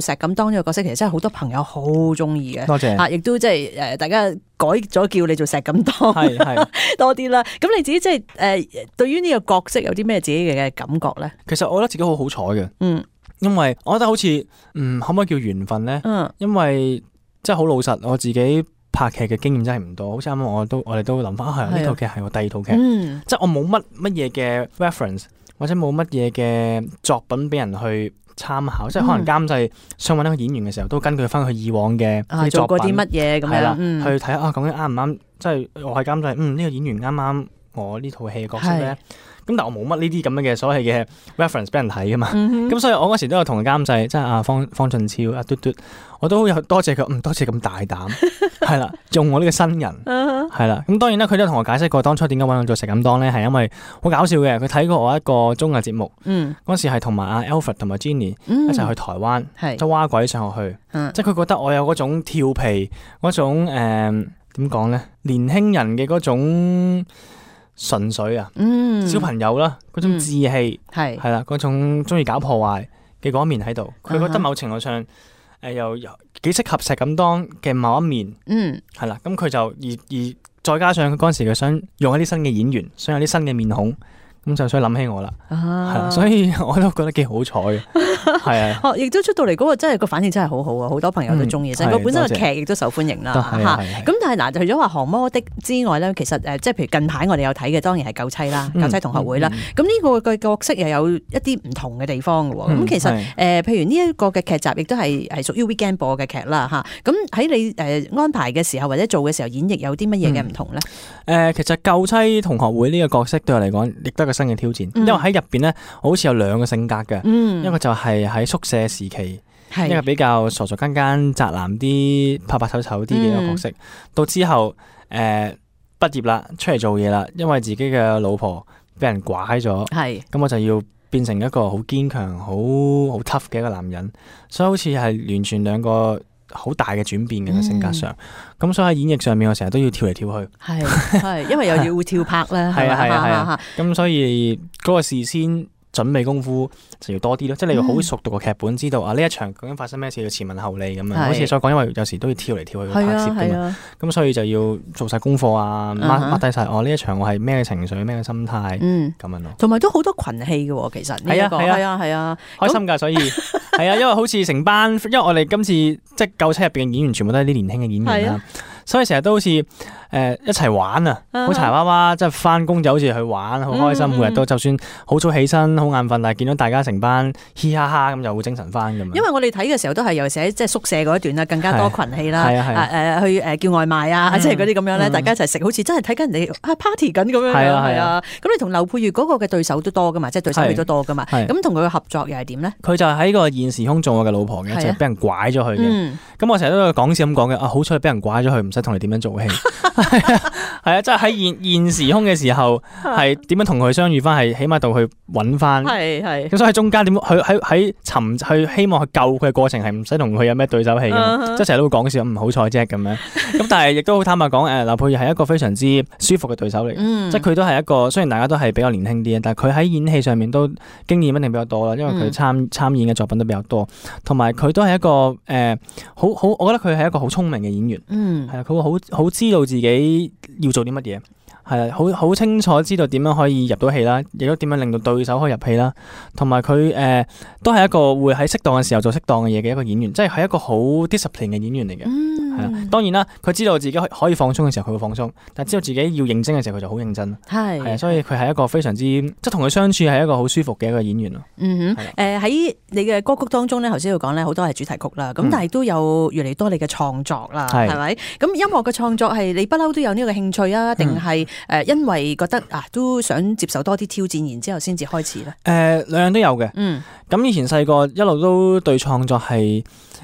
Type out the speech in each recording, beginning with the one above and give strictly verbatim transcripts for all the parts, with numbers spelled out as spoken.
石錦當呢個角色，其實真係好多朋友好中意嘅。多謝啊，亦都即係誒，大家改咗叫你做石錦當，係係多啲啦。咁你自己即係誒，對於呢個角色有啲咩自己嘅感覺咧？其實我覺得自己好好彩嘅，嗯，因為我覺得好似嗯，可唔可以叫緣分咧？嗯，因為即係好老實，我自己拍劇嘅經驗真係唔多，好似啱啱我都我哋都諗翻，係呢套劇係我第二套劇，嗯，即係我冇乜乜嘢嘅 reference 或者冇乜嘢嘅作品俾人去參考，即係可能監製想揾一個演員嘅時候，都根據翻佢以往嘅啊，做過啲乜嘢咁樣，嗯、去睇下啊，究竟啱唔啱？即係我係監製，嗯，呢、呢個演員啱唔啱我呢套戲嘅角色咧？咁但係我冇乜呢啲咁樣嘅所謂嘅 reference 俾人睇噶嘛，咁、嗯、所以我嗰時都有同監製，即係阿方方俊超、阿嘟嘟，我都有多謝佢，嗯，多謝咁大膽，係啦，用我呢個新人，係啦，咁當然啦，佢都同我解釋過當初點解揾我做石錦當咧，係因為好搞笑嘅，佢睇過我一個綜藝節目，嗰、嗯、時係同埋阿 Alfred 同埋 Jenny 一齊去台灣，即係蛙鬼上學去，嗯、即係佢覺得我有嗰種調皮嗰種誒點講咧，年輕人嘅嗰種。純粹啊，嗯、小朋友啦，嗰種志氣係係啦，嗰、嗯、種中意搞破壞嘅嗰一面喺度，佢覺得某程度上誒、呃、又又幾適合石錦當嘅某一面，嗯，係啦，咁佢就而而再加上佢嗰陣時佢想用一啲新嘅演員，想有啲新嘅面孔。咁就所以諗起我啦，係啊，所以我都覺得幾好彩嘅，係啊。哦，亦都出到嚟嗰個真係個反應真係好好啊，好多朋友都中意，成個、嗯、本身個劇亦都受歡迎啦，嚇。咁但係嗱，除咗話降魔的之外咧，其實誒，即係譬如近排我哋有睇嘅，當然係救妻啦，救妻同學會啦。咁呢、嗯嗯、個嘅角色又有一啲唔同嘅地方嘅喎。咁、嗯、其實誒、呃，譬如呢一個嘅劇集亦都係係屬於 weekend 播嘅劇啦，嚇。咁喺你誒安排嘅時候或者做嘅時候演繹有啲乜嘢嘅唔同咧？誒、嗯呃，其實救妻同學會呢個角色對我嚟講，亦都係個新嘅挑戰，因為喺入邊咧，我好似有兩個性格嘅，嗯、一個就係喺宿舍時期，是一個比較傻傻更更、宅男啲、拍拍醜醜啲嘅一個角色。嗯、到之後誒、呃、畢業啦，出嚟做嘢啦，因為自己嘅老婆俾人拐咗，咁是我就要變成一個好堅強、好好 tough 嘅一個男人，所以好似係完全兩個好大嘅轉變嘅性格上，咁、嗯、所以喺演繹上面，我成日都要跳嚟跳去，係係，因為又要跳拍咧，係啊係啊係啊，咁所以嗰個事先準備功夫就要多啲咯，即係你要好熟讀個劇本，知道啊呢一場究竟發生咩事，要前文後理咁樣。好似所講，因為有時都要跳嚟跳去拍攝噶嘛，咁所以就要做晒功課啊，mark mark低晒哦呢一場我係咩情緒、咩心態，咁樣咯。同埋都好多群戲嘅，其實係啊係啊係啊，開心噶，所以係啊，因為好似成班，因為我哋今次即係救妻入邊嘅演員，全部都係啲年輕嘅演員啦。所以成日都好似誒、呃、一齊玩啊，好柴娃娃，即係翻工就好似去玩，好開心。嗯、每日都就算好早起身，好眼瞓，但係見到大家成班嘻哈哈咁，就會精神翻咁樣。因為我哋睇嘅時候都係尤其是喺即係宿舍嗰一段啦，更加多群戲啦，誒誒去誒叫外賣啊，即係嗰啲咁樣咧，嗯、大家一齊食，好似真係睇緊人哋啊 party 緊咁樣。係啊係啊。咁你同劉佩玥嗰個嘅對手都多噶嘛，即係對手戲都多噶嘛。咁同佢嘅合作又係點咧？佢就喺個現時空做我嘅老婆嘅，就係俾人拐咗去嘅。咁、嗯、我成日都講笑咁講嘅，啊好彩俾人拐咗去，唔使同你點樣做戲。係啊，係啊，即係喺現現時空嘅時候，係點樣同佢相遇翻，係起碼到去揾翻，係係。咁所以喺中間點，佢喺喺尋去希望去救佢嘅過程，係唔使同佢有咩對手戲嘅，即係成日都會講笑，唔好彩啫咁樣。咁但係亦都好坦白講，誒，劉佩玥係一個非常之舒服嘅對手嚟，嗯、即係佢都係一個，雖然大家都係比較年輕啲，但係佢喺演戲上面都經驗一定比較多啦，因為佢參參演嘅作品都比較多，同埋佢都係一個誒、呃，好好，我覺得佢係一個好聰明嘅演員，嗯，係啊，佢會好好知道自己要做啲乜嘢，係啊，好好清楚知道點樣可以入到戲啦，亦都點樣令到對手可以入戲啦，同埋佢誒都係一個會喺適當嘅時候做適當嘅嘢嘅一個演員，即係係一個好 discipline 嘅演員嚟嘅，係啊、嗯，當然啦，佢知道自己可以放鬆嘅時候佢會放鬆，但係知道自己要認真嘅時候佢就好認真，係係啊，所以佢係一個非常之即係同佢相處係一個好舒服嘅一個演員咯。嗯哼，誒喺的、呃、你嘅歌曲當中咧，頭先要講咧好多係主題曲啦，咁、嗯、但係都有越嚟越多你嘅創作啦，係咪的？咁音樂嘅創作係你不嬲都有呢個興趣啊，定係誒因為覺得啊都想接受多啲挑戰，然之後先至開始咧？誒、呃、兩樣都有嘅。嗯，咁以前細個一路都對創作係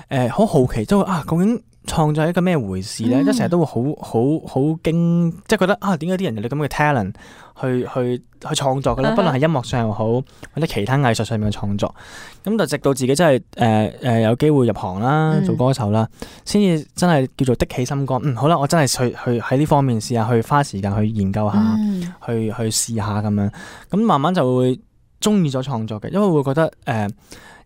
誒好好奇，都啊究竟創作係一個咩回事咧？即係成日都會好好好驚，即係覺得啊點解啲人有啲咁嘅 talent 去去去創作嘅咧？不論係音樂上又好，或者其他藝術上面嘅創作，咁就直到自己真係誒誒有機會入行啦，做歌手啦，先至、嗯、真係叫做的起心肝。嗯，好啦，我真係去去喺呢方面試下，去花時間去研究下，嗯、去去試下咁樣。咁慢慢就會中意咗創作嘅，因為會覺得誒、呃，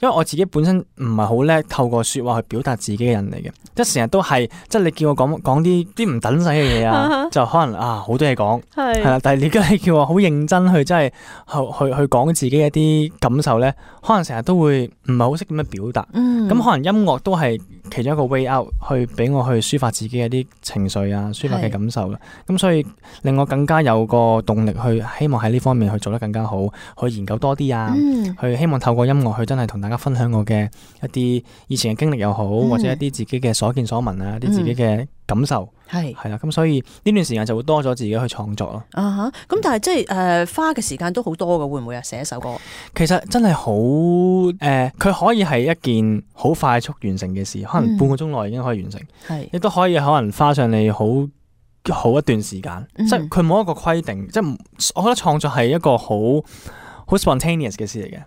因為我自己本身唔係好叻透過説話去表達自己嘅人嚟嘅，即係成日都係即係你叫我講講啲啲唔等使嘅嘢啊，就可能啊好多嘢講係啦，但係你而家你叫我好認真去真係去去去講自己一啲感受咧，可能成日都會唔係好識點樣表達，咁、嗯、可能音樂都係其中一個 way out 去俾我去抒發自己嘅啲情緒啊，抒發嘅感受啦，咁所以令我更加有個動力去希望喺呢方面去做得更加好，去研究多啲啊，嗯、去希望透過音樂去真係同大家分享我嘅一啲以前嘅經歷又好，嗯、或者一啲自己嘅所見所聞啊，一啲自己嘅感受係係啦，咁所以呢段時間就會多咗自己去創作咯。啊哈，咁但係即係誒花嘅時間都好多㗎，會唔會啊？寫一首歌其實真係好誒，佢、呃、可以係一件好快速完成嘅事，可能半個鐘內已經可以完成，係亦都可以可能花上你好好一段時間，嗯、即係佢冇一個規定，即係我覺得創作係一個好好 spontaneous 嘅事嚟嘅，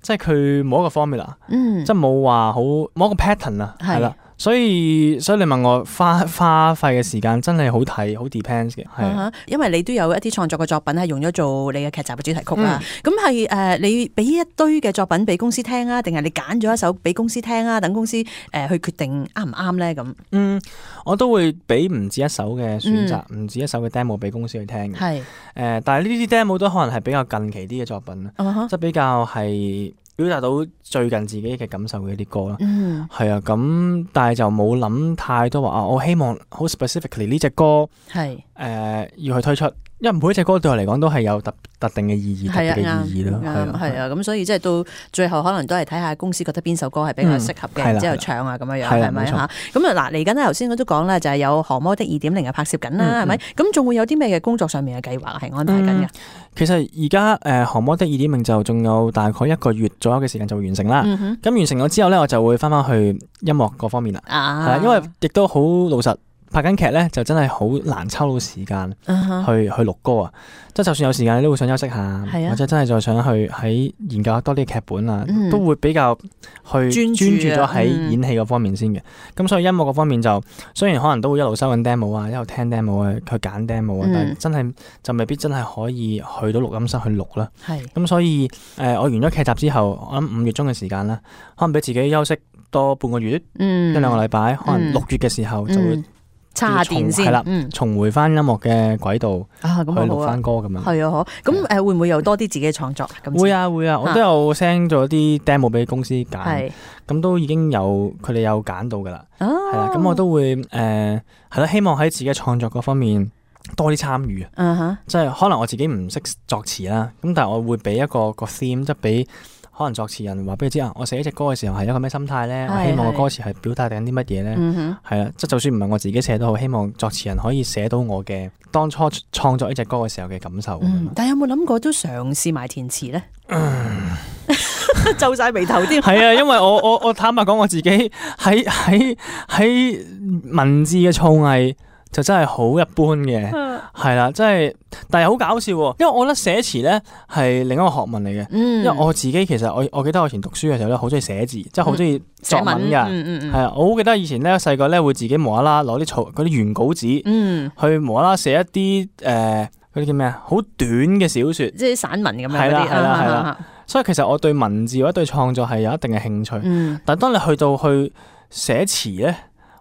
即係佢冇一個 formula，嗯、即係冇話好冇一個 pattern 啊，係啦。所以所以你問我花花費嘅時間真係好睇，好 depends 嘅，係、uh-huh, 因為你都有一啲創作嘅作品係用咗做你嘅劇集嘅主題曲啦。咁係誒，你俾一堆嘅作品俾公司聽啊，定係你揀咗一首俾公司聽啊？等公司誒、呃、去決定啱唔啱咧？咁嗯，我都會俾唔止一首嘅選擇，唔、嗯、止一首嘅 demo 俾公司去聽嘅。係誒、呃，但係呢啲 demo 都可能係比較近期啲嘅作品啦，即、uh-huh. 係比較係表達到最近自己嘅感受嘅一啲歌啦，係、嗯、啊，咁但係就冇諗太多話啊，我希望好 specifically 呢隻歌係誒、呃、要去推出，因為每一隻歌對我嚟講都係有特特定嘅意義，特別嘅意義咯，係啊，係啊，咁所以即係到最後可能都係睇下公司覺得邊首歌係比較適合嘅，然之後唱啊咁樣樣，係咪嚇？咁啊嗱，嚟緊咧頭先我都講啦，就係有《降魔的二點零》嘅拍攝緊啦，係咪？咁仲會有啲咩嘅工作上面嘅計劃係安排緊嘅？其實而家誒《降魔的二點零》就仲有大概一個月左右嘅時間就會完成啦。咁、嗯、完成咗之後咧，我就會翻翻去音樂嗰方面啦。係啊，因為亦都好老實，拍緊劇咧就真係好難抽到時間去、uh-huh. 去錄歌啊。即係就算有時間，你都會想休息下，啊、或者真係再想去喺研究多啲劇本啊、嗯，都會比較去專注咗喺演戲嗰方面先嘅。咁、嗯、所以音樂嗰方面就雖然可能都會一路收緊 demo 啊，一路聽 demo 啊，去揀 demo 啊、嗯，但係真係就未必真係可以去到錄音室去錄啦。咁所以誒、呃，我完咗劇集之後，我諗五月中嘅時間啦，可能俾自己休息多半個月，嗯、一兩個禮拜，可能六月嘅時候就會、嗯。插電先，係啦，重回翻音樂嘅軌道啊，咁去錄翻歌咁樣。係啊，咁誒、呃、會唔會有多啲自己嘅創作？會啊會啊，我都有 send 咗啲 demo 俾公司揀，咁都已經有佢哋有揀到噶啦。係啦，咁我都會誒係啦，希望喺自己嘅創作嗰方面多啲參與啊。即係可能我自己唔識作詞啦，咁但係我會俾一個個 theme，即係俾。可能作詞人話俾佢知啊，我寫一隻歌嘅時候係一個咩心態咧？我希望個歌詞係表達緊啲乜嘢咧？係啦，即係就算唔係我自己寫都好，希望作詞人可以寫到我嘅當初創作呢隻歌嘅時候嘅感受。嗯、但係有冇諗過都嘗試埋填詞咧？皺晒眉頭添。係啊，因為我我我坦白講，我自己喺喺喺文字嘅造詣就真係好一般嘅，係啦，真係，但係好搞笑喎，因為我覺得寫詞咧係另一個學問嚟嘅、嗯，因為我自己其實我我記得我以前讀書嘅時候咧，好中意寫字，即係好中意作文㗎，係啊、嗯嗯嗯，我好記得以前咧細個咧會自己無啦啦攞啲草嗰啲原稿紙，嗯、去無啦啦寫一啲誒嗰啲叫咩啊，好短嘅小説，即係散文咁樣嗰啲，係啦係啦係啦，所以其實我對文字或者對創作係有一定嘅興趣，嗯、但係當你去到去寫詞咧。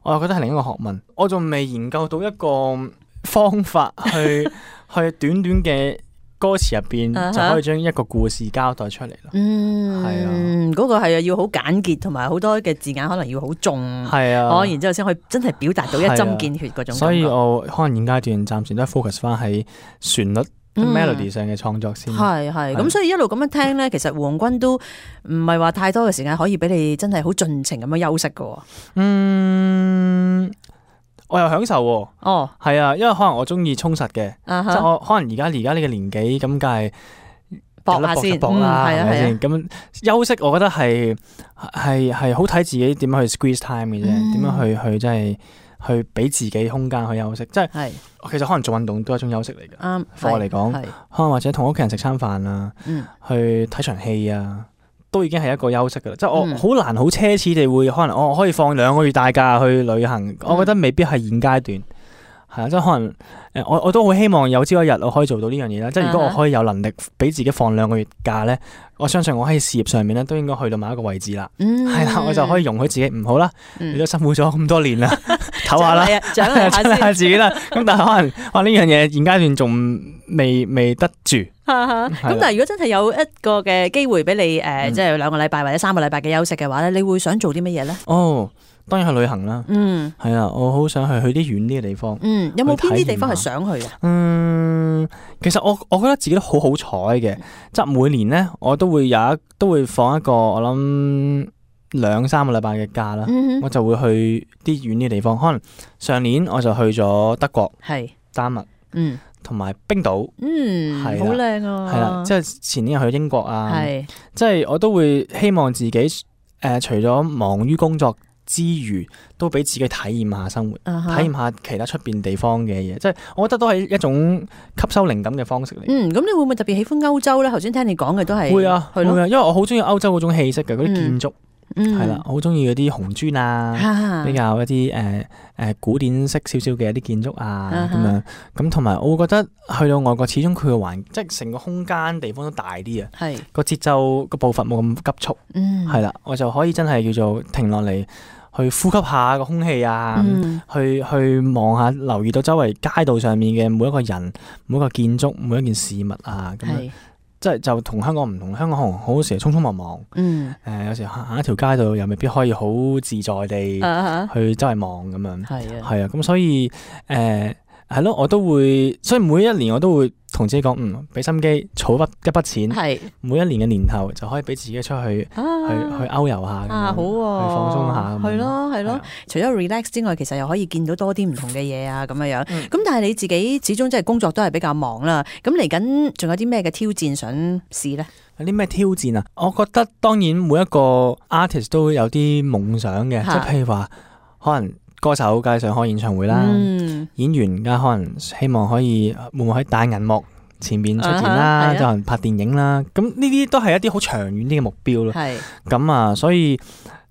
我又覺得係另一個學問，我仲未研究到一個方法去去短短嘅歌詞入邊就可以將一個故事交代出嚟咯。嗯，係啊，嗰、嗰個係啊，要好簡潔，同埋好多嘅字眼可能要好重，係啊，哦，然之後先可以真係表達到一針見血嗰種感覺。所以我可能現階段暫時都係 focus 翻喺旋律。嗯、melody 上嘅創作先係係咁，所以一路咁樣聽咧，其實胡鴻鈞都唔係話太多嘅時間可以俾你真係好盡情咁樣休息㗎。嗯，我又享受喎。哦，係啊，因為可能我中意充實嘅、uh-huh. 即係我可能而家而家呢個年紀咁，梗係搏下先，搏啦，係咪先？咁休息，我覺得係係係好睇自己點樣去 squeeze time 嘅啫，點、嗯、樣去去真係。去俾自己空間去休息，即係其實可能做運動都係一種休息嚟嘅。啱，對我嚟講，可能或者同屋企人食餐飯啊、嗯，去睇場戲啊，都已經係一個休息噶啦。即係我好難好奢侈地會可能我可以放兩個月大假去旅行，嗯、我覺得未必係現階段。係啊，即係可能誒，我我都好希望有朝一日我可以做到呢樣嘢啦。即係如果我可以有能力俾自己放兩個月假咧，我相信我喺事業上面咧都應該去到某一個位置啦。係啦、嗯，我就可以容許自己唔好啦。嗯、你都辛苦咗咁多年啦，唞下啦，獎勵下下自己啦。咁但係可能哇呢樣嘢現階段仲未未得住。咁但係如果真係有一個嘅機會俾你誒，嗯、即係兩個禮拜或者三個禮拜嘅休息嘅話咧，你會想做啲乜嘢咧？哦。當然去旅行啦，嗯，係啊，我好想去去啲遠啲嘅地方，嗯，有冇邊啲地方係想去啊？嗯，其實我我覺得自己都好好彩嘅，即係每年咧我都會有一都會放一個我諗兩三個禮拜嘅假啦，嗯、哼我就會去啲遠啲嘅地方，可能上年我就去咗德國，係是丹麥，嗯，同埋冰島，嗯，係好靚啊，係啦，即係前年又去英國啊，係，即係我都會希望自己誒、呃、除咗忙於工作之餘都俾自己體驗下生活，uh huh. 體驗下其他出邊地方嘅嘢，即係我覺得都係一種吸收靈感嘅方式嚟。嗯，咁你會唔會特別喜歡歐洲咧？頭先聽你講嘅都係會啊，係咯，會啊，因為我好中意歐洲嗰種氣息嘅嗰啲建築，係啦、嗯，好中意嗰啲紅磚啊，嗯、比較一啲誒誒古典式少少嘅一啲建築啊咁、uh huh. 樣，咁同埋我會覺得去到外國，始終佢嘅環即係成個空間地方都大啲啊，係個節奏個步伐冇咁急促，嗯，係啦，我就可以真係叫做停落嚟。去呼吸下個空氣啊，嗯、去去望下，留意到周圍街道上面嘅每一個人、每一個建築、每一件事物啊，咁樣是即係就同香港唔同。香港可能好多時匆匆忙忙，誒、嗯呃、有時行行一條街道又未必可以好自在地去周圍望咁樣，係啊，係啊，咁所以誒係咯，我都會，所以每一年我都會同自己講，嗯，俾心機儲筆一筆錢，係每一年嘅年頭就可以俾自己出去、啊、去去歐遊下，啊好喎，去放鬆下，係咯係咯。除咗 relax 之外，其實又可以見到多啲唔同嘅嘢啊，咁樣樣。咁、嗯、但係你自己始終即係工作都係比較忙啦。咁嚟緊仲有啲咩嘅挑戰想試咧？有啲咩挑戰啊？我覺得當然每一個 artist 都有啲夢想嘅，即係譬如話可能。歌手梗係想開演唱會啦，嗯、演員梗係可能希望可以會唔會喺大銀幕前面出現啦，就可能拍電影啦。咁呢啲都係一啲好長遠啲嘅目標咯。係咁啊，所以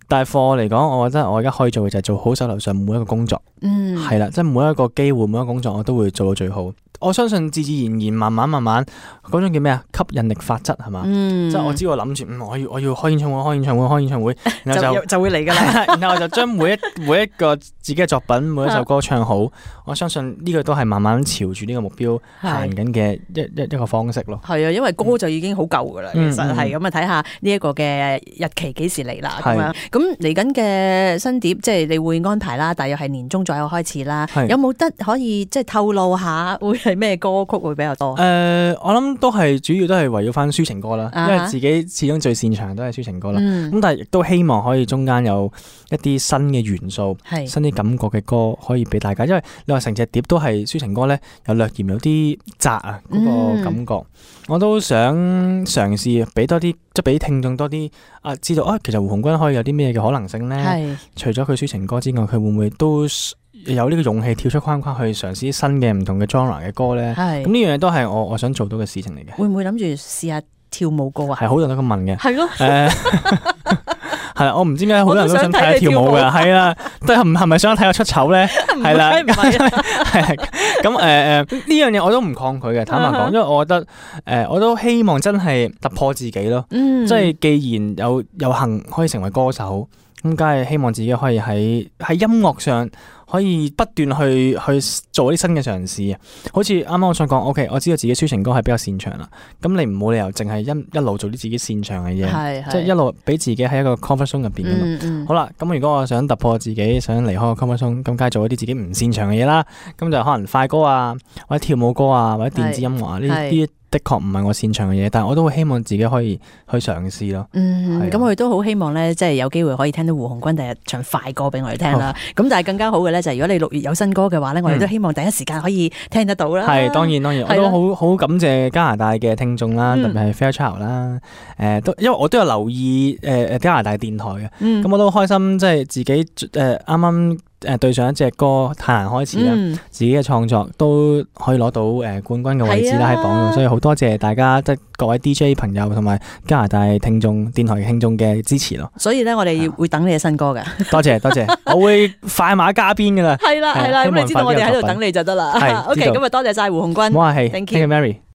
但係課我嚟講，我覺得我而家可以做嘅就係做好手頭上每一個工作。嗯，係啦，即係每一個機會，每一個工作我都會做到最好。我相信自自然然，慢慢慢慢嗰種叫咩啊？吸引力法則係嘛？嗯、即係我知我諗住，嗯，我要我要開演唱會，開演唱會，開演唱會，然後就就，就會嚟㗎啦。然後我就將每一每一個自己嘅作品，每一首歌唱好。我相信呢個都係慢慢朝住呢個目標行緊嘅一一一個方式咯。係啊，因為歌就已經好夠㗎啦。嗯、其實係咁啊，睇下呢一個嘅日期幾時嚟啦咁樣。咁嚟緊嘅新碟，即係你會安排啦，大約係年中左右開始啦。是有冇得可以即係透露下會係咩歌曲會比較多？誒、呃，我諗都係主要都係圍繞翻抒情歌啦，啊、哈因為自己始終最擅長都係抒情歌啦。咁、嗯、但係亦都希望可以中間有一啲新嘅元素、是新啲感覺嘅歌可以俾大家。因為你話成隻碟都係抒情歌咧，有略嫌有啲窄啊嗰個感覺。嗯、我都想嘗試俾多啲，即係俾聽眾多啲啊，知道啊，其實胡鴻鈞可以有啲咩嘅可能性咧？是除咗佢抒情歌之外，佢會唔會都有呢個勇氣跳出框框去嘗試新嘅唔同嘅 genre 嘅歌咧？係咁呢樣嘢都係我我想做到嘅事情嚟嘅。會唔會諗住試下跳舞歌啊？係好多人都咁問嘅。係咯。誒，係啦，我唔知點解好多人都想睇下跳舞嘅。係啊，都係唔係咪想睇我出醜咧？係啦，係係咁誒誒，呢樣嘢我都唔抗拒嘅。坦白講，因為我覺得誒，我都希望真係突破自己咯。嗯，即係既然有有幸可以成為歌手，咁梗係希望自己可以喺喺音樂上。可以不斷去去做啲新嘅嘗試啊！好似啱啱我想講 ，OK， 我知道自己抒情歌係比較擅長啦。咁你唔冇理由淨係一一路做啲自己擅長嘅嘢，即係一路俾自己喺一個 comfort zone 入邊噶嘛。嗯嗯、好啦，咁如果我想突破自己，想離開個 comfort zone，咁梗係做一啲自己唔擅長嘅嘢啦。咁就可能快歌啊，或者跳舞歌啊，或者電子音樂啊呢啲。的確唔係我擅長嘅嘢，但係我都會希望自己可以去嘗試咯。嗯，咁我哋都好希望咧，即係有機會可以聽到胡鴻鈞第日唱快歌俾我哋聽啦。咁、哦、但係更加好嘅咧，就係如果你六月有新歌嘅話咧，我哋都希望第一時間可以聽得到啦。係、嗯，當然當然，我都好好感謝加拿大嘅聽眾啦，特別係 Fairchild 啦。誒，都因為我都有留意誒誒加拿大電台嘅，咁、嗯、我都開心，即係自己誒啱啱。呃誒對上一隻歌《太難開始》啦，嗯、自己嘅創作都可以攞到誒冠軍嘅位置啦喺榜度，啊、所以好多謝大家即係各位 D J 朋友同埋加拿大聽眾、電台聽眾嘅支持咯。所以咧，我哋會等你嘅新歌嘅。多謝多謝，我會快馬加鞭噶啦。係啦係啦，咁你知道我哋喺度等你就得啦。OK，咁啊多謝晒胡鴻鈞。唔好客氣 ，Thank you。Mary。